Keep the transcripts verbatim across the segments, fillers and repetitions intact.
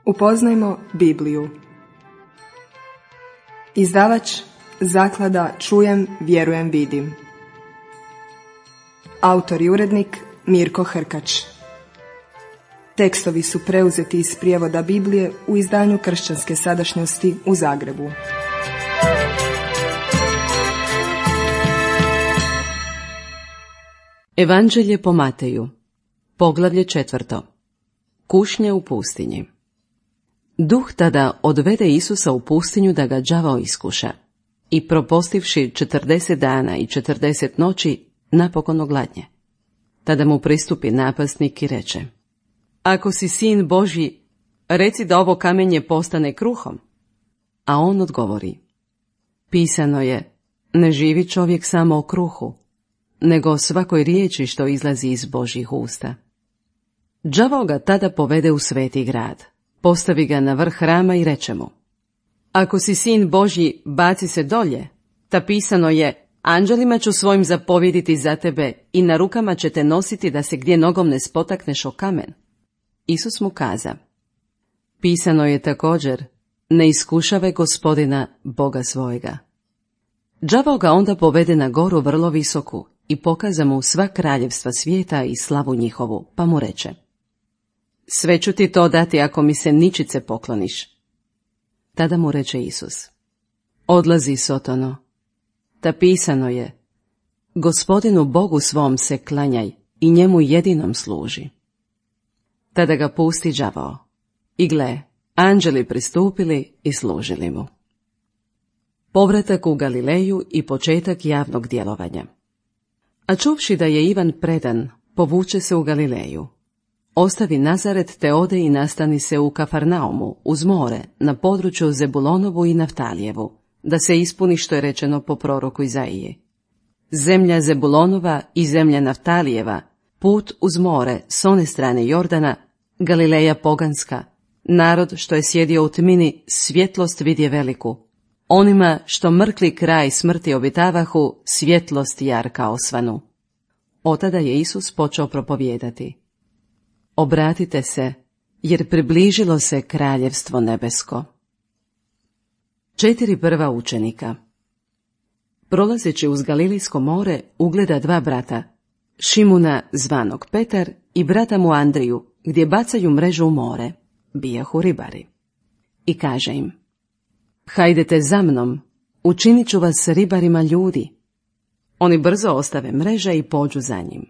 Upoznajmo Bibliju. Izdavač Zaklada Čujem, vjerujem, vidim. Autor i urednik Mirko Hrkač. Tekstovi su preuzeti iz prijevoda Biblije u izdanju Kršćanske sadašnjosti u Zagrebu. Evanđelje po Mateju, poglavlje četvrto. Kušnje u pustinji. Duh tada odvede Isusa u pustinju da ga đavao iskuša, i propostivši četrdeset dana i četrdeset noći, napokon ogladnje. Tada mu pristupi napasnik i reče: Ako si sin Božji, reci da ovo kamenje postane kruhom. A on odgovori: Pisano je, ne živi čovjek samo o kruhu, nego o svakoj riječi što izlazi iz Božjih usta. Đavao ga tada povede u sveti grad, postavi ga na vrh hrama i reče mu: Ako si sin Božji, baci se dolje, ta pisano je, anđelima ću svojim zapovjediti za tebe i na rukama će te nositi da se gdje nogom ne spotakneš o kamen. Isus mu kaza: Pisano je također, ne iskušavaj Gospodina Boga svojega. Đavao ga onda povede na goru vrlo visoku i pokaza mu sva kraljevstva svijeta i slavu njihovu, pa mu reče: Sve ću ti to dati ako mi se ničice pokloniš. Tada mu reče Isus: Odlazi, Sotono, ta pisano je, Gospodinu Bogu svom se klanjaj i njemu jedinom služi. Tada ga pusti đavao, i gle, anđeli pristupili i služili mu. Povratak u Galileju i početak javnog djelovanja. A čuvši da je Ivan predan, povuče se u Galileju. Ostavi Nazaret te ode i nastani se u Kafarnaumu, uz more, na području Zebulonovu i Naftalijevu, da se ispuni što je rečeno po proroku Izaiji. Zemlja Zebulonova i zemlja Naftalijeva, put uz more s one strane Jordana, Galileja poganska, narod što je sjedio u tmini, svjetlost vidje veliku. Onima što mrkli kraj smrti obitavahu, svjetlost jarka osvanu. Otada je Isus počeo propovijedati: Obratite se, jer približilo se kraljevstvo nebesko. Četiri prva učenika. Prolazeći uz Galilejsko more, ugleda dva brata, Šimuna zvanog Petar i brata mu Andriju, gdje bacaju mrežu u more, bijahu ribari. I kaže im: Hajdete za mnom, učinit ću vas ribarima ljudi. Oni brzo ostave mreže i pođu za njim.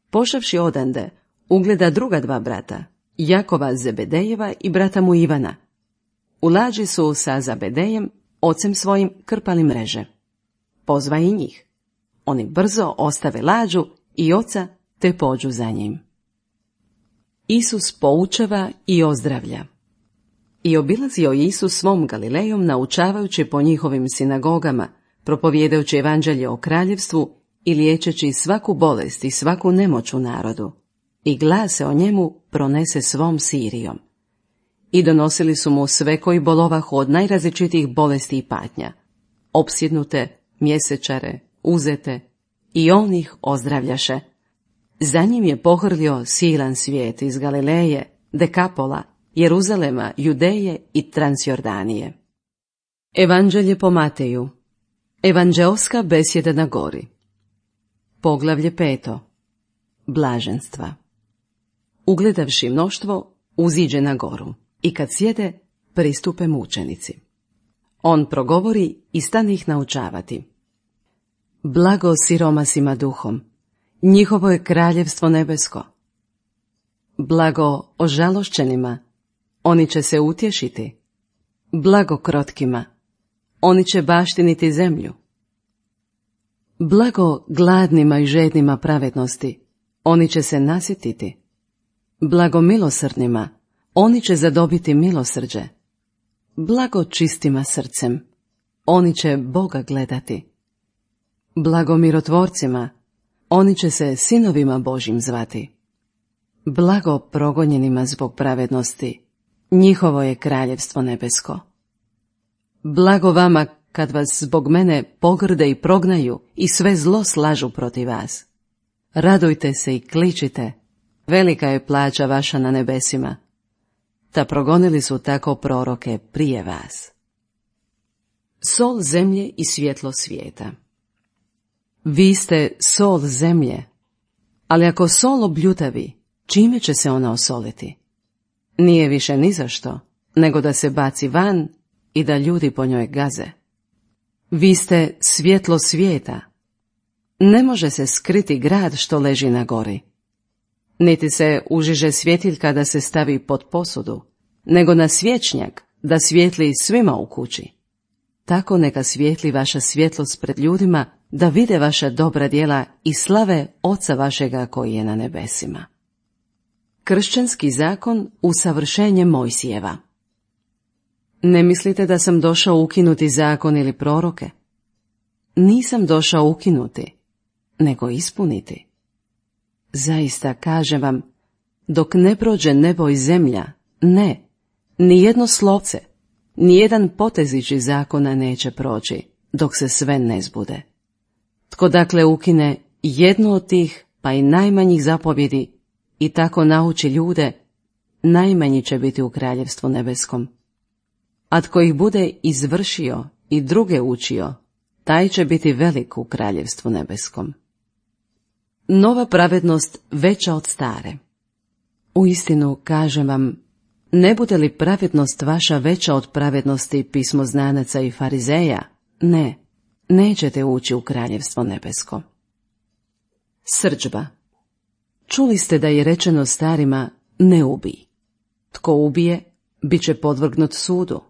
Pošavši odande, ugleda druga dva brata, Jakova Zebedejeva i brata mu Ivana. U lađi su sa Zebedejem, ocem svojim, krpali mreže. Pozva i njih. Oni brzo ostave lađu i oca te pođu za njim. Isus poučava i ozdravlja. I obilazio Isus svom Galilejom, naučavajući po njihovim sinagogama, propovijedajući evanđelje o kraljevstvu i liječeći svaku bolest i svaku nemoć u narodu. I glas se o njemu pronese svom Sirijom. I donosili su mu sve koji bolovahu od najrazličitijih bolesti i patnja, opsjednute, mjesečare, uzete, i on ih ozdravljaše. Za njim je pohrlio silan svijet iz Galileje, Dekapola, Jeruzalema, Judeje i Transjordanije. Evanđelje po Mateju. Evanđeoska besjeda na gori. Poglavlje peto. Blaženstva. Ugledavši mnoštvo, uziđe na goru, i kad sjede, pristupe mučenici. On progovori i stane ih naučavati. Blago siromasima duhom, njihovo je kraljevstvo nebesko. Blago ožalošćenima, oni će se utješiti. Blago krotkima, oni će baštiniti zemlju. Blago gladnima i žednima pravednosti, oni će se nasititi. Blago milosrdnima, oni će zadobiti milosrđe. Blago čistima srcem, oni će Boga gledati. Blago mirotvorcima, oni će se sinovima Božjim zvati. Blago progonjenima zbog pravednosti, njihovo je kraljevstvo nebesko. Blago vama kad vas zbog mene pogrde i prognaju i sve zlo slažu protiv vas. Radujte se i kličite, velika je plaća vaša na nebesima. ta progonili su tako proroke prije vas. Sol zemlje i svjetlo svijeta. Vi ste sol zemlje, ali ako sol obljutavi, čime će se ona osoliti? Nije više ni za što, nego da se baci van i da ljudi po njoj gaze. Vi ste svjetlo svijeta. Ne može se skriti grad što leži na gori. Niti se užiže svjetiljka da se stavi pod posudu, nego na svječnjak da svijetli svima u kući. Tako neka svijetli vaša svjetlost pred ljudima, da vide vaša dobra djela i slave Oca vašega koji je na nebesima. Kršćanski zakon usavršenje Mojsijeva. Ne mislite da sam došao ukinuti zakon ili proroke? Nisam došao ukinuti, nego ispuniti. Zaista kažem vam, dok ne prođe nebo i zemlja, ne, ni jedno slovce, ni jedan potezić iz zakona neće proći, dok se sve ne zbude. Tko dakle ukine jednu od tih, pa i najmanjih zapovjedi, i tako nauči ljude, najmanji će biti u kraljevstvu nebeskom. A tko ih bude izvršio i druge učio, taj će biti velik u kraljevstvu nebeskom. Nova pravednost veća od stare. Uistinu kažem vam, ne bude li pravednost vaša veća od pravednosti pismoznanaca i farizeja, ne, nećete ući u kraljevstvo nebesko. Srdžba. Čuli ste da je rečeno starima, ne ubij. Tko ubije, bit će podvrgnut sudu.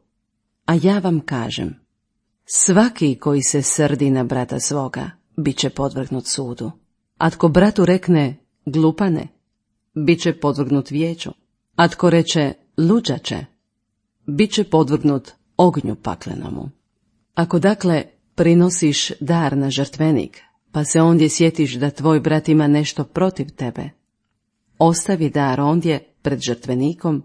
A ja vam kažem, svaki koji se srdi na brata svoga, bit će podvrgnut sudu. A tko bratu rekne, glupane, bit će podvrgnut vijeću. A tko reče, luđače, bit će podvrgnut ognju paklenomu. Ako dakle prinosiš dar na žrtvenik, pa se ondje sjetiš da tvoj brat ima nešto protiv tebe, ostavi dar ondje pred žrtvenikom,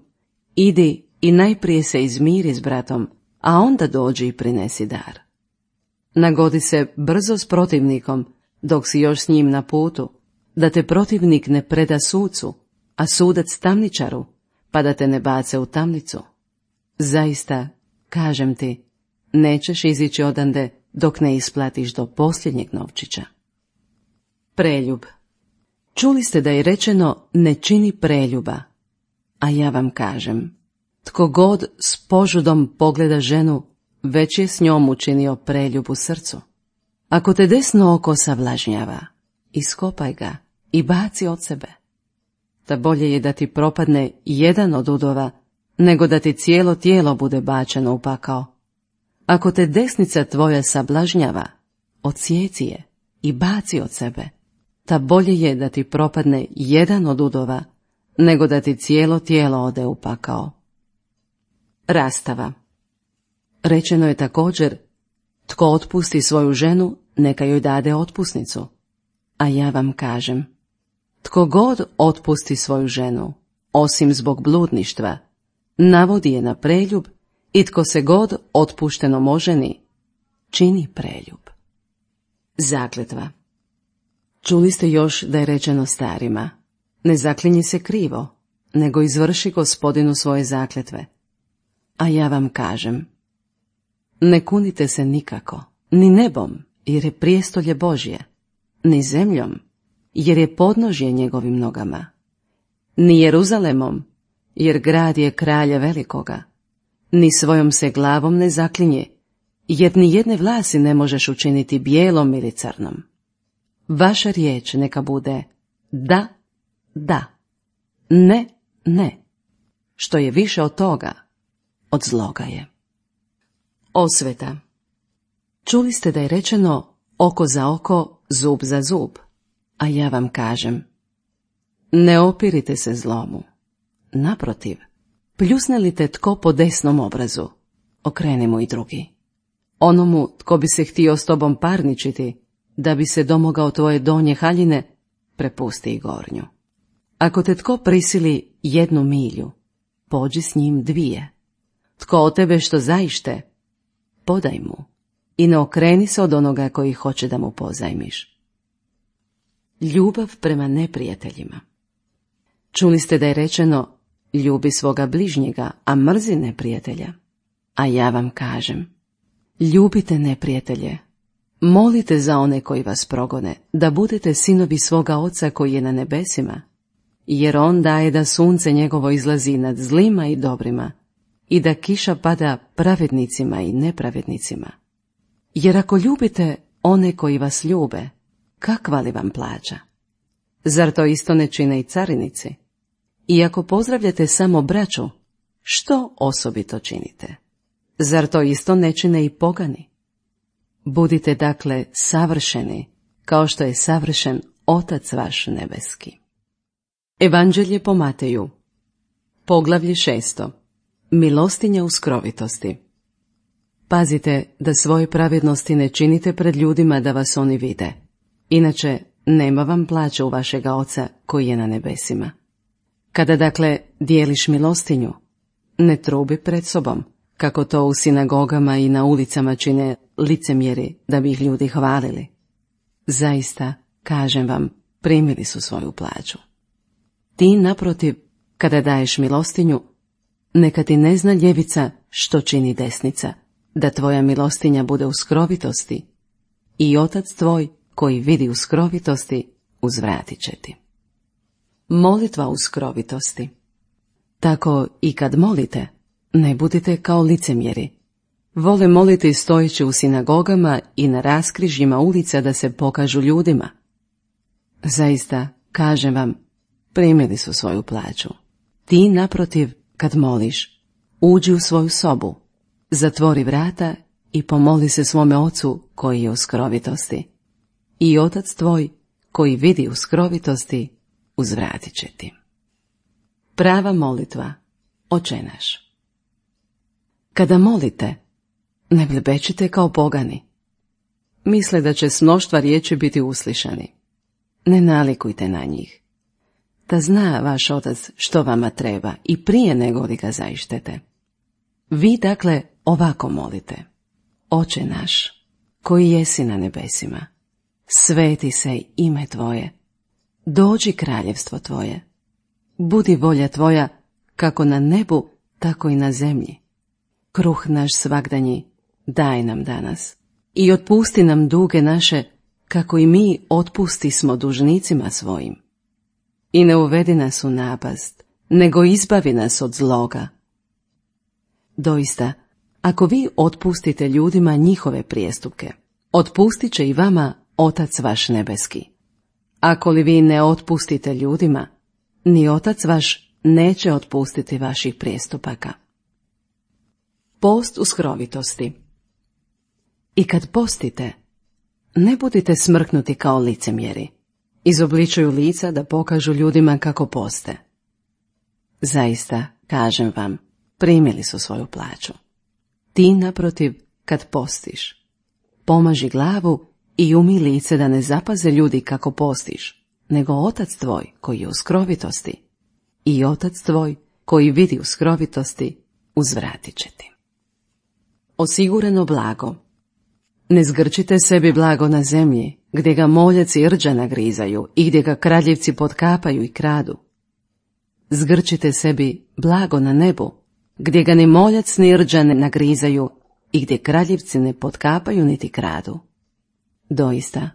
idi i najprije se izmiri s bratom, a onda dođi i prinesi dar. Nagodi se brzo s protivnikom, dok si još s njim na putu, da te protivnik ne preda sucu, a sudac tamničaru, pa da te ne bace u tamnicu. Zaista, kažem ti, nećeš izići odande dok ne isplatiš do posljednjeg novčića. Preljub. Čuli ste da je rečeno ne čini preljuba, a ja vam kažem, tko god s požudom pogleda ženu, već je s njom učinio preljub u srcu. Ako te desno oko savlažnjava, iskopaj ga i baci od sebe. Da bolje je da ti propadne jedan od udova, nego da ti cijelo tijelo bude bačeno u pakao. Ako te desnica tvoja sablažnjava, odsjeci je i baci od sebe. Ta bolje je da ti propadne jedan od udova, nego da ti cijelo tijelo ode u pakao. Rastava. Rečeno je također, tko otpusti svoju ženu, neka joj dade otpusnicu. A ja vam kažem, tko god otpusti svoju ženu, osim zbog bludništva, navodi je na preljub, i tko se god otpuštenom oženi, čini preljub. Zakletva. Čuli ste još da je rečeno starima, ne zaklinji se krivo, nego izvrši Gospodinu svoje zakletve. A ja vam kažem, ne kunite se nikako, ni nebom, jer je prijestolje Božje, ni zemljom, jer je podnožje njegovim nogama, ni Jeruzalemom, jer grad je kralja velikoga, ni svojom se glavom ne zaklinje, jer ni jedne vlasi ne možeš učiniti bijelom ili crnom. Vaša riječ neka bude da, da, ne, ne, što je više od toga, od zloga je. Osveta. Čuli ste da je rečeno oko za oko, zub za zub, a ja vam kažem, ne opirite se zlomu. Naprotiv, pljusne li te tko po desnom obrazu, okreni mu i drugi. Onomu tko bi se htio s tobom parničiti, da bi se domogao tvoje donje haljine, prepusti i gornju. Ako te tko prisili jednu milju, pođi s njim dvije. Tko od tebe što zaište, podaj mu i ne okreni se od onoga koji hoće da mu pozajmiš. Ljubav prema neprijateljima. Čuli ste da je rečeno, ljubi svoga bližnjega, a mrzi neprijatelja. A ja vam kažem, ljubite neprijatelje, molite za one koji vas progone, da budete sinovi svoga Oca koji je na nebesima, jer on daje da sunce njegovo izlazi nad zlima i dobrima, i da kiša pada pravednicima i nepravednicima. Jer ako ljubite one koji vas ljube, kakva li vam plaća? Zar to isto ne čine i carinici? I ako pozdravljate samo braću, što osobito činite? Zar to isto ne čine i pogani? Budite dakle savršeni, kao što je savršen Otac vaš nebeski. Evanđelje po Mateju, poglavlje šesto. Milostinja u skrovitosti. Pazite da svoje pravednosti ne činite pred ljudima da vas oni vide, inače nema vam plaće u vašega Oca koji je na nebesima. Kada dakle dijeliš milostinju, ne trubi pred sobom, kako to u sinagogama i na ulicama čine licemjeri da bi ih ljudi hvalili. Zaista, kažem vam, primili su svoju plaću. Ti, naprotiv, kada daješ milostinju, neka ti ne zna ljevica što čini desnica, da tvoja milostinja bude u skrovitosti, i Otac tvoj, koji vidi u skrovitosti, uzvratit će ti. Molitva u skrovitosti. Tako i kad molite, ne budite kao licemjeri. Vole moliti stojeći u sinagogama i na raskrižjima ulica da se pokažu ljudima. Zaista, kažem vam, primili su svoju plaću. Ti, naprotiv, kad moliš, uđi u svoju sobu, zatvori vrata i pomoli se svome Ocu koji je u skrovitosti. I Otac tvoj, koji vidi u skrovitosti, uzvratit će ti. Prava molitva, Oče naš. Kada molite, ne blebečite kao pogani. Misle da će s mnoštva riječi biti uslišani. Ne nalikujte na njih. Da zna vaš Otac što vama treba i prije nego li ga zaištete. Vi dakle ovako molite. Oče naš, koji jesi na nebesima, sveti se ime tvoje, dođi kraljevstvo tvoje, budi volja tvoja kako na nebu, tako i na zemlji. Kruh naš svagdanji daj nam danas i otpusti nam duge naše, kako i mi otpustismo dužnicima svojim. I ne uvedi nas u napast, nego izbavi nas od zloga. Doista, ako vi otpustite ljudima njihove prijestupke, otpustit će i vama Otac vaš nebeski. Ako li vi ne otpustite ljudima, ni Otac vaš neće otpustiti vaših prijestupaka. Post u skrovitosti. I kad postite, ne budite smrknuti kao licemjeri. Izobličuju lica da pokažu ljudima kako poste. Zaista, kažem vam, primili su svoju plaću. Ti, naprotiv, kad postiš, pomaži glavu i umij lice da ne zapaze ljudi kako postiš, nego Otac tvoj koji je u skrovitosti, i Otac tvoj koji vidi u skrovitosti, uzvratit će ti. Osigurano blago. Ne zgrčite sebi blago na zemlji, gdje ga moljaci i rđa nagrizaju i gdje ga kradljivci potkapaju i kradu. Zgrčite sebi blago na nebu, gdje ga ni moljac ni rđa ne nagrizaju i gdje kradljivci ne potkapaju niti kradu. Doista,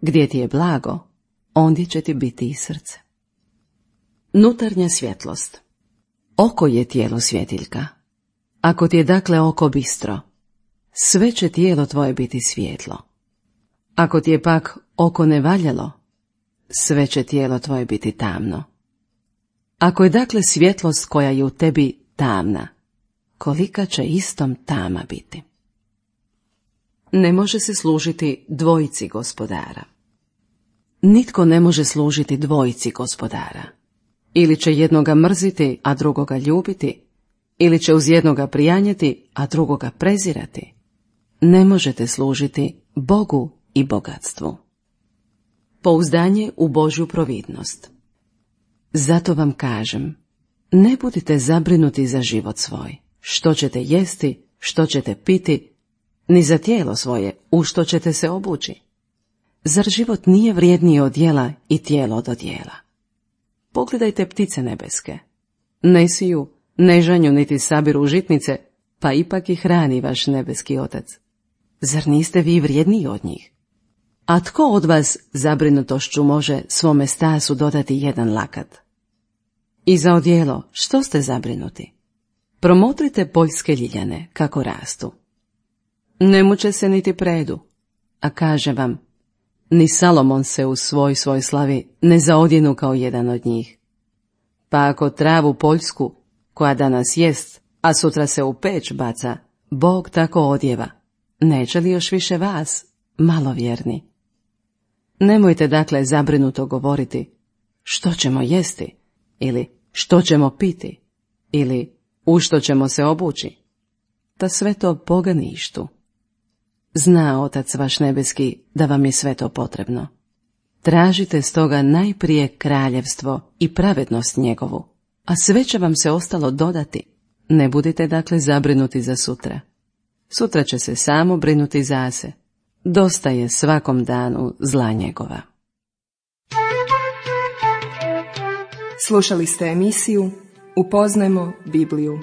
gdje ti je blago, ondje će ti biti i srce. Nutarnja svjetlost. Oko je tijelo svjetiljka. Ako ti je dakle oko bistro, sve će tijelo tvoje biti svjetlo. Ako ti je pak oko nevaljalo, sve će tijelo tvoje biti tamno. Ako je dakle svjetlost koja je u tebi tamna, kolika će istom tama biti. Ne može se služiti dvojici gospodara. Nitko ne može služiti dvojici gospodara. Ili će jednoga mrziti, a drugoga ljubiti, ili će uz jednoga prijanjati, a drugoga prezirati. Ne možete služiti Bogu i bogatstvu. Pouzdanje u Božju providnost. Zato vam kažem, ne budite zabrinuti za život svoj, što ćete jesti, što ćete piti, ni za tijelo svoje, u što ćete se obući. Zar život nije vrijedniji od jela i tijelo od odjela? Pogledajte ptice nebeske. Ne siju, ne žanju niti sabiru žitnice, pa ipak ih hrani vaš nebeski Otac. Zar niste vi vrijedniji od njih? A tko od vas zabrinutošću može svome stasu dodati jedan lakat? I za odijelo, što ste zabrinuti? Promotrite poljske ljiljane, kako rastu. Ne muče se niti predu, a kaže vam, ni Salomon se u svoj svoj slavi ne zaodjenu kao jedan od njih. Pa ako travu poljsku, koja danas jest, a sutra se u peć baca, Bog tako odjeva, neće li još više vas, malovjerni? Nemojte dakle zabrinuto govoriti, što ćemo jesti, ili što ćemo piti, ili u što ćemo se obući. Ta sve to Boga ništu. Zna Otac vaš nebeski da vam je sve to potrebno. Tražite stoga najprije kraljevstvo i pravednost njegovu, a sve će vam se ostalo dodati. Ne budite dakle zabrinuti za sutra. Sutra će se samo brinuti za se. Dosta je svakom danu zla njegova. Slušali ste emisiju Upoznajmo Bibliju.